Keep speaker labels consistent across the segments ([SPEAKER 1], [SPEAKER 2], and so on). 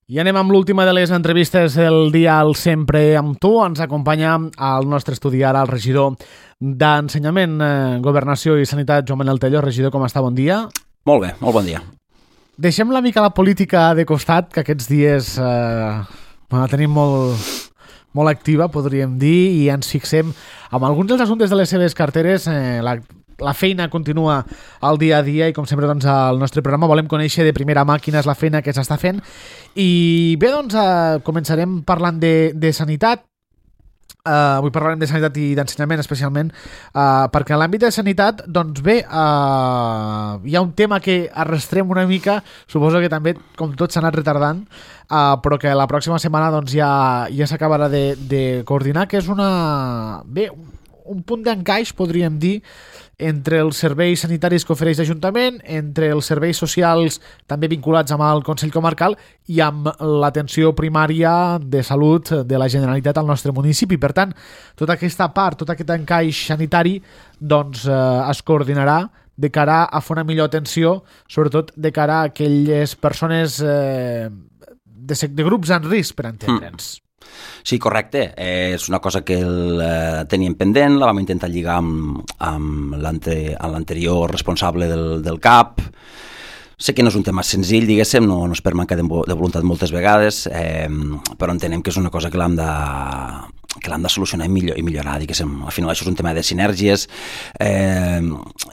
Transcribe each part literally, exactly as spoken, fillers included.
[SPEAKER 1] I anem amb l'última de les entrevistes del dia al Sempre amb tu. Ens acompanya al nostre estudi ara el regidor d'Ensenyament, eh, Governació i Sanitat, Joan Manel Tello. Regidor, com està? Bon dia.
[SPEAKER 2] Molt bé, molt bon dia.
[SPEAKER 1] Deixem una mica la política de costat, que aquests dies eh, la tenim molt, molt activa, podríem dir, i ens fixem en alguns dels assumptes de les seves carteres. Eh, la La feina continua al dia a dia i, com sempre, doncs, al nostre programa volem conèixer de primera mà quina és la feina que s'està fent. I bé, doncs, eh, començarem parlant de, de sanitat. Uh, avui parlarem de sanitat i d'ensenyament especialment, uh, perquè en l'àmbit de sanitat, doncs bé, uh, hi ha un tema que arrastrem una mica, suposo que també, com tot, s'ha anat retardant, uh, però que la pròxima setmana doncs, ja, ja s'acabarà de, de coordinar, que és una... bé, un punt d'encaix, podríem dir, entre els serveis sanitaris que ofereix l'Ajuntament, entre els serveis socials també vinculats amb el Consell Comarcal i amb l'atenció primària de salut de la Generalitat al nostre municipi. Per tant, tota aquesta part, tot aquest encaix sanitari doncs, eh, es coordinarà de cara a fer una millor atenció, sobretot de cara a aquelles persones eh, de, de grups en risc, per entendre'ns. Mm.
[SPEAKER 2] Sí, correcte. Eh, és una cosa que el, eh, teníem pendent, la vam intentar lligar amb, amb l'anterior responsable del, del C A P. Sé que no és un tema senzill, diguéssim, no, no és per manca de, de voluntat moltes vegades, eh, però entenem que és una cosa que l'hem de, que l'hem de solucionar i, millor, i millorar, diguéssim. Al final això és un tema de sinergies. Eh,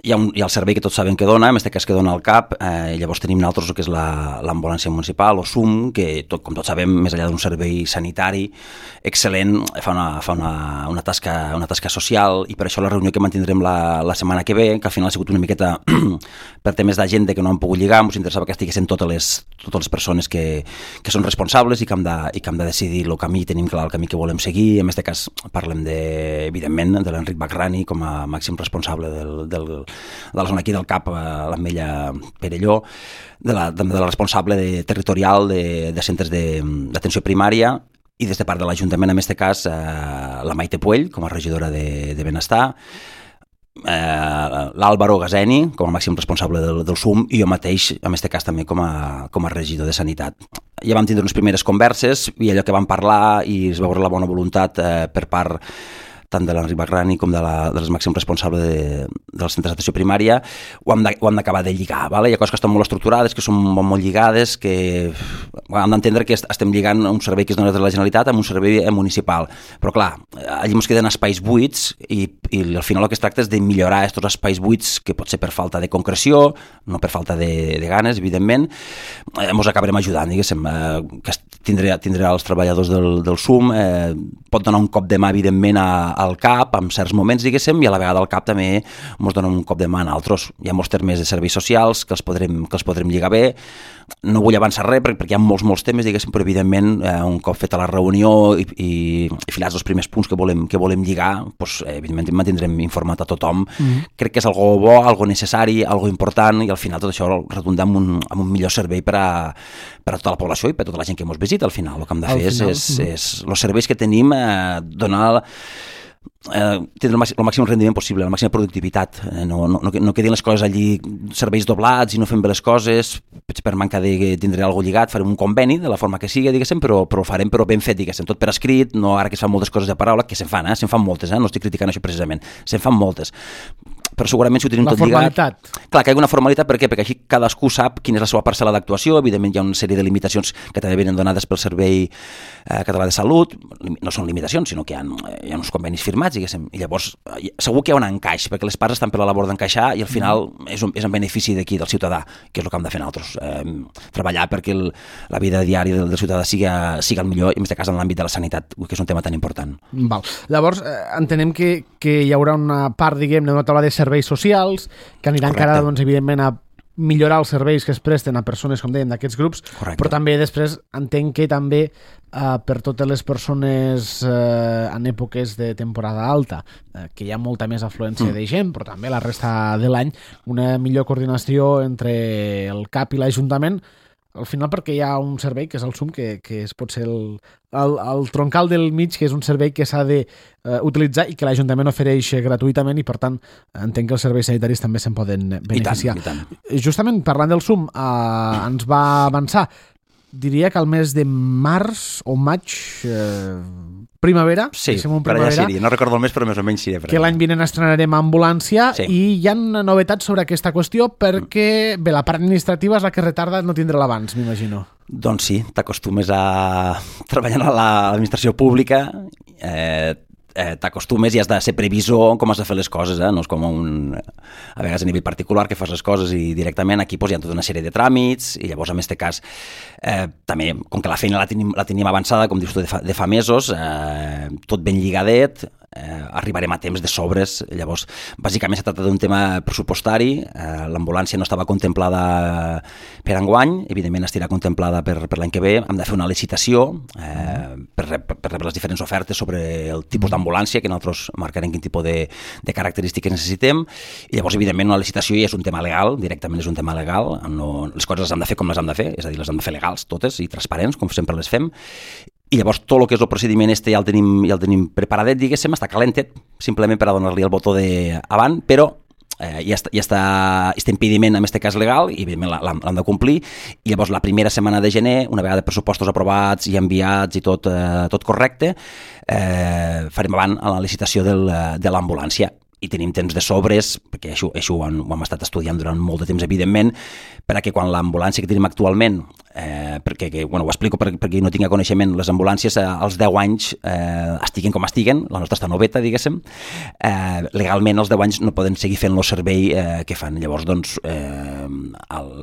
[SPEAKER 2] hi, ha un, hi ha el servei que tots sabem que dona, en aquest cas que dona el C A P, eh, llavors tenim nosaltres el que és l'ambulància la, municipal, o S U M, que tot, com tots sabem, més enllà d'un servei sanitari excel·lent, fa una, fa una, una, tasca, una tasca social, i per això la reunió que mantindrem la, la setmana que ve, que al final ha sigut una miqueta per temes d'agenda que no han pogut lligar, ens interessava que estiguessin totes les, totes les persones que, que són responsables i que, hem de, i que hem de decidir el camí, tenim clar el camí que volem seguir. En aquest cas parlem de, evidentment, de l'Enric Bacrani com a màxim responsable del, del, de la zona aquí del C A P, l'Ametlla Perelló, de la, de la responsable de, territorial de, de centres d'atenció primària, i des de part de l'Ajuntament, en aquest cas, eh, la Maite Puell, com a regidora de, de Benestar, eh, l'Àlvaro Gazeni, com a màxim responsable del, del S U M, i jo mateix, en aquest cas també com a, com a regidor de Sanitat. Ja vam tindre unes primeres converses i allò que vam parlar i es va veure la bona voluntat eh, per part tant de l'Enric Bacrani com de, la, de les màxims responsables de, dels centres d'atenció primària, ho hem d'acabar de, de lligar. Vale? Hi ha coses que estan molt estructurades, que són molt, molt lligades, que bueno, hem d'entendre que estem lligant un servei que és donat de la Generalitat amb un servei municipal. Però clar, allí ens queden espais buits i, i al final el que es tracta és de millorar aquests espais buits, que pot ser per falta de concreció, no per falta de, de ganes, evidentment. Eh, ens acabarem ajudant, diguéssim, eh, que tindrà, tindrà els treballadors del, del S U M, eh, pot donar un cop de mà, evidentment, a al C A P en certs moments, diguéssim, i a la vegada el C A P també ens dona un cop de mà a altres. Hi ha molts termes de serveis socials que els podrem, que els podrem lligar bé. No vull avançar res perquè hi ha molts, molts temes, diguéssim, però evidentment eh, un cop feta la reunió i, i, i filats els primers punts que volem, que volem lligar, doncs, eh, evidentment mantindrem informat a tothom. Mm-hmm. Crec que és algo bo, algo necessari, algo important, i al final tot això redundar en un, en un millor servei per a, per a tota la població i per a tota la gent que ens visita. Al final el que hem de fer és, és, és els serveis que tenim, eh, donar Eh, tindre el màxim, el màxim rendiment possible, la màxima productivitat, eh, no, no, no quedin les coses allí, serveis doblats i no fem bé les coses, per manca de tindre alguna lligat, farem un conveni de la forma que sigui, diguéssim, però, però ho farem però ben fet, diguéssim, tot per escrit, no ara que es fan moltes coses de paraula, que se'n fan, eh? se'n fan moltes, eh? No estic criticant això precisament, se'n fan moltes, però segurament si ho tenim
[SPEAKER 1] la
[SPEAKER 2] tot
[SPEAKER 1] formalitat.
[SPEAKER 2] Lligat... Clar, que hi ha una formalitat, per què? Perquè així cadascú sap quina és la seva parcel·la d'actuació, evidentment hi ha una sèrie de limitacions que també venen donades pel Servei eh, Català de Salut, no són limitacions, sinó que hi ha, hi ha uns convenis firmats, diguéssim, i llavors segur que hi ha un encaix, perquè les parts estan per la labor d'encaixar i al final és, un, és en benefici d'aquí, del ciutadà, que és el que hem de fer nosaltres, eh, treballar perquè el, la vida diària del, del ciutadà siga, siga el millor, i en aquest cas en l'àmbit de la sanitat, que és un tema tan important.
[SPEAKER 1] Val. Llavors, eh, entenem que, que hi haurà una part, diguem, d'una taula de serveis socials que aniran cara, doncs, evidentment, a millorar els serveis que es presten a persones, com dèiem, d'aquests grups. Correcte. Però també després entenc que també eh, per totes les persones eh, en èpoques de temporada alta, eh, que hi ha molta més afluència mm. de gent, però també la resta de l'any, una millor coordinació entre el C A P i l'Ajuntament, al final perquè hi ha un servei que és el S U M, que, que és potser el, el, el troncal del mig, que és un servei que s'ha d'utilitzar uh, i que l'Ajuntament ofereix gratuïtament, i per tant entenc que els serveis sanitaris també se'n poden beneficiar.
[SPEAKER 2] I tant, i tant.
[SPEAKER 1] Justament parlant del S U M, uh, ens va avançar diria que al mes de març o maig, eh, primavera,
[SPEAKER 2] sí,
[SPEAKER 1] un
[SPEAKER 2] per allà seria, no recordo el mes, però més o menys seria.
[SPEAKER 1] Que l'any vinent estrenarem Ambulància, sí. I hi ha novetats sobre aquesta qüestió perquè, bé, la part administrativa és la que retarda no tindre l'abans, m'imagino.
[SPEAKER 2] Doncs sí, t'acostumes a treballar a l'administració pública, eh, eh, t'acostumes i has de ser previsor com has de fer les coses, eh? No és com un, a vegades a nivell particular que fas les coses i directament aquí pues, hi ha tota una sèrie de tràmits i llavors en aquest cas eh, també, com que la feina la tenim, la tenim avançada, com dius tu, de fa, de fa mesos, eh, tot ben lligadet, eh, arribarem a temps de sobres, llavors bàsicament se tracta d'un tema pressupostari, eh, l'ambulància no estava contemplada per enguany, evidentment estarà contemplada per, per l'any que ve, hem de fer una licitació eh, per, per, per rebre les diferents ofertes sobre el tipus d'ambulància, que nosaltres marcarem quin tipus de, de característiques necessitem, i llavors evidentment una licitació ja és un tema legal, directament és un tema legal, no, les coses les hem de fer com les hem de fer, és a dir, les hem de fer legals totes i transparents, com sempre les fem, i llavors tot el que és el procediment este ja el tenim, ja el tenim preparadet, diguéssim, està calentet, simplement per a donar-li el botó de avant, però eh, ja, està, ja està este impediment en aquest cas legal i evidentment l'hem de complir, i llavors la primera setmana de gener, una vegada pressupostos aprovats i enviats i tot, eh, tot correcte, eh, farem avant a la licitació del, de l'ambulància. I tenim temps de sobres, perquè això, això ho, hem, ho hem estat estudiant durant molt de temps, evidentment, perquè quan l'ambulància que tenim actualment, eh, perquè, que, bueno, ho explico per, perquè no tinc coneixement, les ambulàncies eh, als deu anys eh, estiguen com estiguen, la nostra està noveta, diguéssim, eh, legalment als deu anys no poden seguir fent el servei eh, que fan. Llavors, doncs, eh,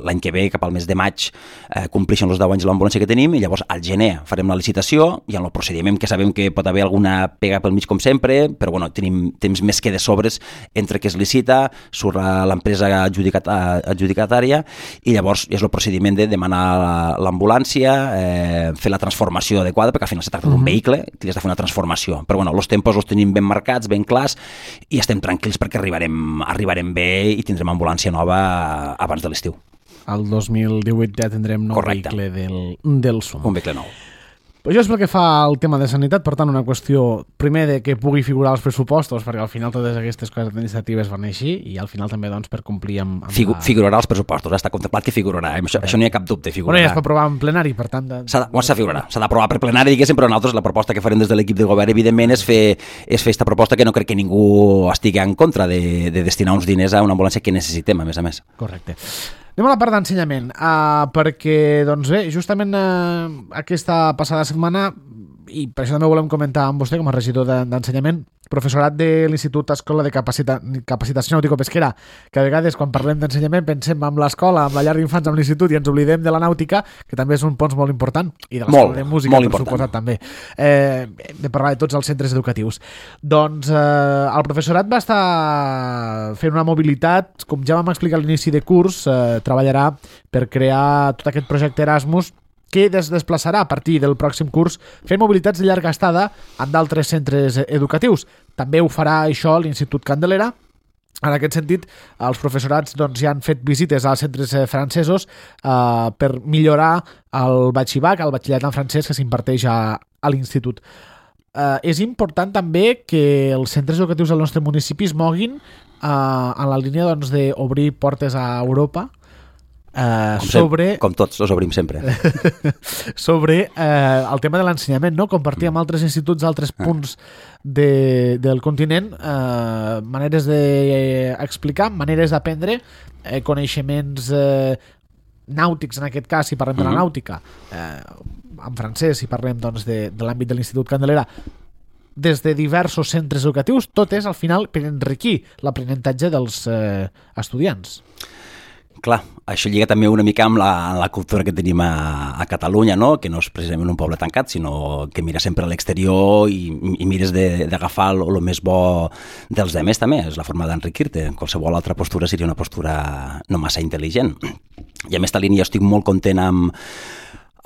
[SPEAKER 2] l'any que ve, cap al mes de maig, eh, compleixen els deu anys l'ambulància que tenim, i llavors al gener farem la licitació, i en el procediment que sabem que pot haver alguna pega pel mig com sempre, però bueno, tenim temps més que de sobres entre que es licita, surt l'empresa adjudicatària i llavors és el procediment de demanar l'ambulància, eh, fer la transformació adequada, perquè al final se tracta d'un vehicle que has de fer una transformació. Però bueno, els tempos els tenim ben marcats, ben clars, i estem tranquils perquè arribarem, arribarem bé i tindrem ambulància nova abans de l'estiu.
[SPEAKER 1] El dos mil divuit ja tindrem nou
[SPEAKER 2] Correcte.
[SPEAKER 1] Vehicle del, del SUM.
[SPEAKER 2] Un vehicle nou.
[SPEAKER 1] Això és pel que fa al tema de sanitat, per tant, una qüestió, primer, de que pugui figurar els pressupostos, perquè al final totes aquestes coses administratives van així, i al final també doncs, per complir amb... amb
[SPEAKER 2] Figu
[SPEAKER 1] la...
[SPEAKER 2] Figurarà els pressupostos, està contemplat que figurarà, això, okay. Això no hi ha cap dubte, figurarà.
[SPEAKER 1] Bueno, ja es pot aprovar en plenari, per tant... De...
[SPEAKER 2] S'ha de, bueno, figurarà, s'ha d'aprovar per plenari, diguéssim, però nosaltres la proposta que farem des de l'equip del govern, evidentment, és fer és fer aquesta proposta que no crec que ningú estigui en contra de, de destinar uns diners a una ambulància que necessitem, a més a més.
[SPEAKER 1] Correcte. Anem a la part d'ensenyament, uh, perquè, doncs bé, justament uh, aquesta passada setmana, i per això també volem comentar amb vostè com a regidor d'ensenyament, professorat de l'Institut Escola de Capacita Capacitació Nàutico-Pesquera, que a vegades quan parlem d'ensenyament pensem en l'escola, amb la llar d'infants, amb l'institut, i ens oblidem de la nàutica, que també és un pons molt important, i de l'escola de música, per important. Suposat, també. Eh, hem de parlar de tots els centres educatius. Doncs eh, el professorat va estar fent una mobilitat, com ja vam explicar a l'inici de curs, eh, treballarà per crear tot aquest projecte Erasmus, que es desplaçarà a partir del pròxim curs fent mobilitats de llarga estada en d'altres centres educatius. També ho farà això l'Institut Candelera. En aquest sentit, els professorats doncs, ja han fet visites als centres francesos eh, per millorar el batxibac, el batxillerat en francès que s'imparteix a, a l'institut. Eh, és important també que els centres educatius del nostre municipi es moguin eh, en la línia doncs, d'obrir portes a Europa. Uh,
[SPEAKER 2] com,
[SPEAKER 1] sobre
[SPEAKER 2] sempre, com tots els obrim sempre
[SPEAKER 1] sobre uh, el tema de l'ensenyament, no? Compartir amb altres instituts d'altres punts de, del continent uh, maneres d'explicar, maneres d'aprendre, eh, coneixements eh, nàutics, en aquest cas si parlem de la nàutica, eh, en francès si parlem doncs, de, de l'àmbit de l'Institut Candelera, des de diversos centres educatius, tot és al final per enriquir l'aprenentatge dels eh, estudiants.
[SPEAKER 2] Clar, això lliga també una mica amb la, la cultura que tenim a, a Catalunya, no? Que no és precisament un poble tancat, sinó que mira sempre a l'exterior i, i mires d'agafar el, el més bo dels demés també, és la forma d'enriquir-te. Qualsevol altra postura seria una postura no massa intel·ligent. I a més, esta línia jo estic molt content amb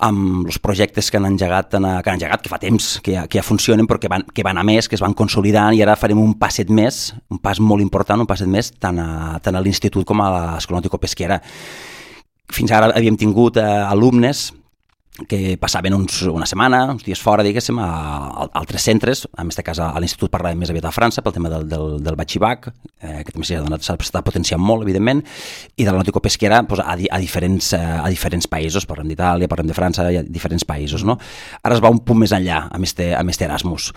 [SPEAKER 2] amb els projectes que han engegat, que han engegat, que fa temps que ja, que ja funcionen, però que van, que van a més, que es van consolidant, i ara farem un passet més, un pas molt important, un passet més, tant a, tant a l'Institut com a l'Escola Nàutico-Pesquera. Fins ara havíem tingut eh, alumnes que passaven uns, una setmana, uns dies fora, diguéssim, a, a altres centres, en aquest cas a, a l'Institut parlàvem més aviat a França, pel tema del, del, del batxibac, eh, que també s'ha estat potenciant molt, evidentment, i de la nàutico-pesquera pues, a, a, diferents, a diferents països, parlem d'Itàlia, parlem de França, i a diferents països, no? Ara es va un punt més enllà, amb este, amb este Erasmus.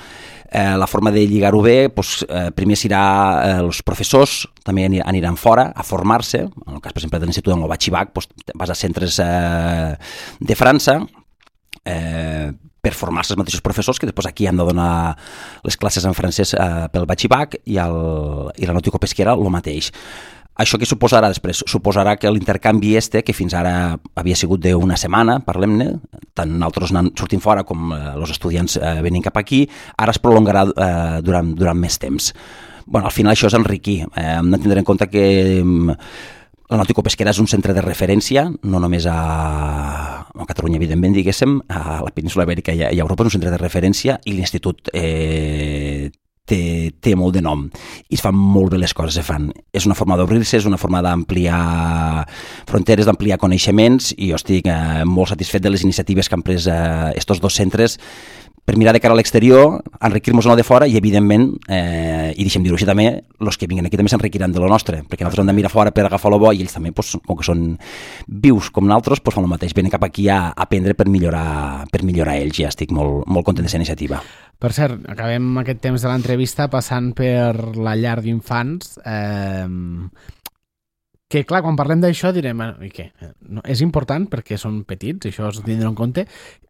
[SPEAKER 2] Eh, la forma de lligar-ho bé, pues, eh, primer serà eh, els professors, també aniran fora a formar-se, en el cas, per exemple, de l'Institut del Batxibac, pues, vas a centres eh, de França, Eh, per formar-se els mateixos professors que després aquí han de donar les classes en francès eh, pel batxibac i, el, i la nàutico-pesquera el mateix. Això què suposarà després? Suposarà que l'intercanvi este, que fins ara havia sigut d'una setmana, parlem-ne, tant nosaltres sortim fora com eh, els estudiants eh, venint cap aquí, ara es prolongarà eh, durant, durant més temps. Bueno, al final això és enriquir. Eh, hem de tindre en compte que eh, la nàutico-pesquera és un centre de referència, no només a, a Catalunya, evidentment, diguéssim, a la península Ibèrica i a Europa és un centre de referència i l'institut eh, té, té molt de nom i es fan molt bé les coses, se fan. És una forma d'obrir-se, és una forma d'ampliar fronteres, d'ampliar coneixements i jo estic eh, molt satisfet de les iniciatives que han pres eh, estos dos centres per mirar de cara a l'exterior, enriquir-nos el de fora i, evidentment, eh, i deixem dir-ho així també, els que vinguen aquí també s'enriquiran de lo nostre, perquè nosaltres hem de mirar fora per agafar lo bo i ells també, pues, com que són vius com nosaltres, pues, fan el mateix, venen cap aquí a aprendre per millorar, per millorar ells i ja estic molt, molt content d'aquesta iniciativa.
[SPEAKER 1] Per cert, acabem aquest temps de l'entrevista passant per la llar d'infants. Eh, que, clar, quan parlem d'això direm, i què? No, és important perquè són petits, això es tindrà en compte.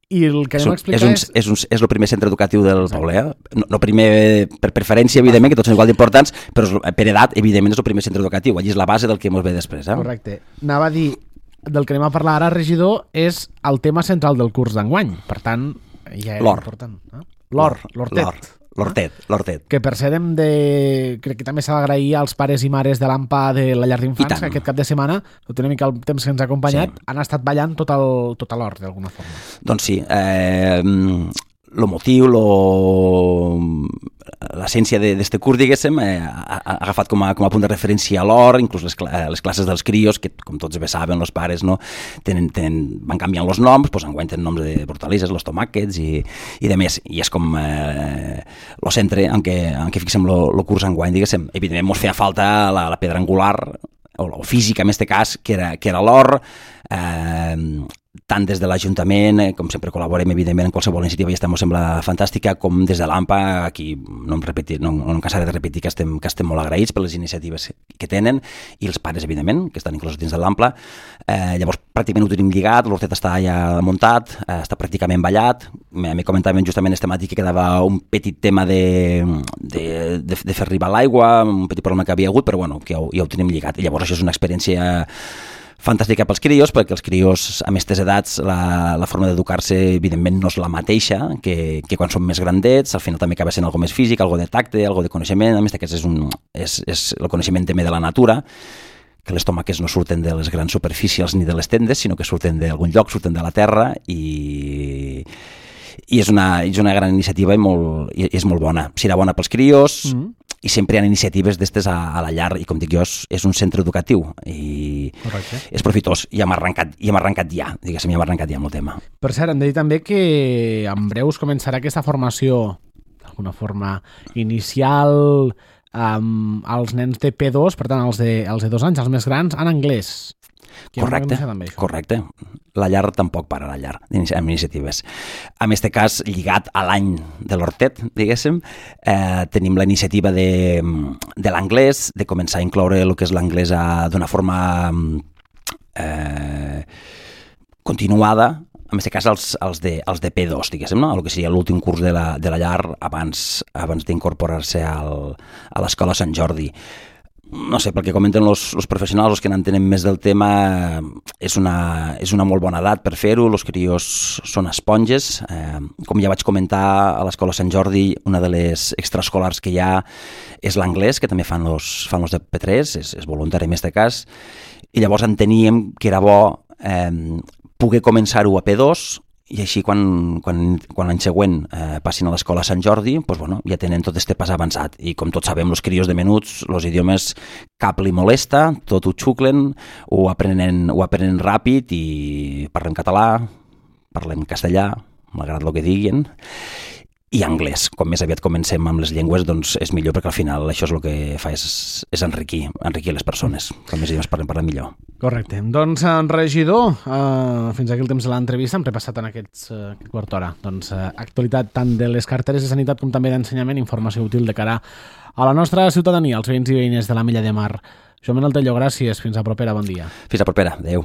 [SPEAKER 1] I el que anem a explicar
[SPEAKER 2] és... Un,
[SPEAKER 1] és...
[SPEAKER 2] És, un, és el primer centre educatiu del Exacte. Poble, eh? No, no primer per preferència, evidentment, que tots són igual d'importants, però per edat, evidentment, és el primer centre educatiu. Allí és la base del que ens ve després. Eh?
[SPEAKER 1] Correcte. Anava a dir, del que anem a parlar ara, regidor, és el tema central del curs d'enguany. Per tant, ja era important. Eh? L'or, l'hortet.
[SPEAKER 2] L'hortet, l'hortet.
[SPEAKER 1] Que per ser hem de... Crec que també s'ha d'agrair als pares i mares de l'A M P A de la llar d'infants, que aquest cap de setmana, tot una mica el temps que ens ha acompanyat, sí. Han estat ballant tot, el, tot l'hort, d'alguna forma.
[SPEAKER 2] Doncs sí. Eh, el motiu, lo, l'essència d'aquest curs, diguéssim, eh, ha, ha agafat com a, com a punt de referència a l'or, inclús les, les classes dels crios, que com tots bé saben, els pares, no, tenen, tenen, van canviant els noms, doncs enguany tenen noms de hortalisses, els tomàquets i, i de més. I és com eh, el centre en què, en què fixem el curs enguany, diguéssim. Evidentment, ens feia falta la, la pedra angular, o, o física, en aquest cas, que era, que era l'or, eh, tant des de l'Ajuntament, eh, com sempre col·laborem, evidentment, en qualsevol iniciativa i estem, ens sembla fantàstica, com des de l'A M P A, aquí no em, repetir, no, no em cansaré de repetir que estem, que estem molt agraïts per les iniciatives que tenen, i els pares, evidentment, que estan inclosos dins de l'A M P A. Eh, llavors, pràcticament ho tenim lligat, l'hortet està ja muntat, eh, està pràcticament ballat, me comentàvem justament este matí que quedava un petit tema de, de, de, de fer arribar l'aigua, un petit problema que havia hagut, però bueno, que ja ho, ja ho tenim lligat. I llavors això és una experiència fantàstica pels crios, perquè els crios a aquestes edats la, la forma d'educar-se evidentment no és la mateixa que, que quan són més grandets, al final també acaba sent algo més físic, algo de tacte, algo de coneixement, a més aquest és, un, és, és el coneixement també de la natura, que les tomàquets no surten de les grans superfícies ni de les tendes, sinó que surten d'algun lloc, surten de la terra i, i és, una, és una gran iniciativa i, molt, i és molt bona. Serà bona pels crios, mm-hmm. I sempre hi ha iniciatives d'estes a, a la llar i com dic jo, és, és un centre educatiu i Correcte. És profitós i hem arrencat, i hem arrencat ja, diguéssim, hem arrencat ja amb el tema.
[SPEAKER 1] Per cert, hem de dir també que en breus començarà aquesta formació d'alguna forma inicial um, als nens de P dos, per tant els de, els de dos anys, els més grans, en anglès.
[SPEAKER 2] Correcte, correcte. La llar tampoc para la llar amb iniciatives. En aquest cas, lligat a l'any de l'hortet, diguéssim, eh, tenim la iniciativa de, de l'anglès, de començar a incloure el que és l'anglès d'una forma eh, continuada, en aquest cas els, els, de, els de P dos, diguéssim, no? El que seria l'últim curs de la, de la llar abans, abans d'incorporar-se al, a l'escola Sant Jordi. No sé, pel que comenten els, els professionals, els que n'entenen més del tema, és una, és una molt bona edat per fer-ho, els crios són esponges. Eh, com ja vaig comentar, a l'escola Sant Jordi, una de les extraescolars que hi ha és l'anglès, que també fan els, fan els de P tres, és, és voluntari en aquest cas, i llavors enteníem que era bo eh, poder començar-ho a P dos, i així quan, quan, quan l'any següent eh, passin a l'escola Sant Jordi, doncs, bueno, ja tenen tot este pas avançat. I com tots sabem, els crios de menuts, els idiomes cap li molesta, tot ho xuclen, ho aprenen, ho aprenen ràpid i parlem català, parlem castellà, malgrat el que diguin, i anglès. Com més aviat comencem amb les llengües, doncs és millor, perquè al final això és el que fa és, és enriquir, enriquir les persones. Com més idiomes parlem, parlem millor.
[SPEAKER 1] Correcte. Doncs, en regidor, uh, fins aquí el temps de l'entrevista, hem repassat en aquests, uh, aquest quart d'hora. Doncs, uh, actualitat tant de les carteres de sanitat com també d'ensenyament, informació útil de cara a la nostra ciutadania, als veïns i veïnes de la Mella de Mar. Joan Manuel Tello, gràcies. Fins a propera. Bon dia.
[SPEAKER 2] Fins a propera. Adéu.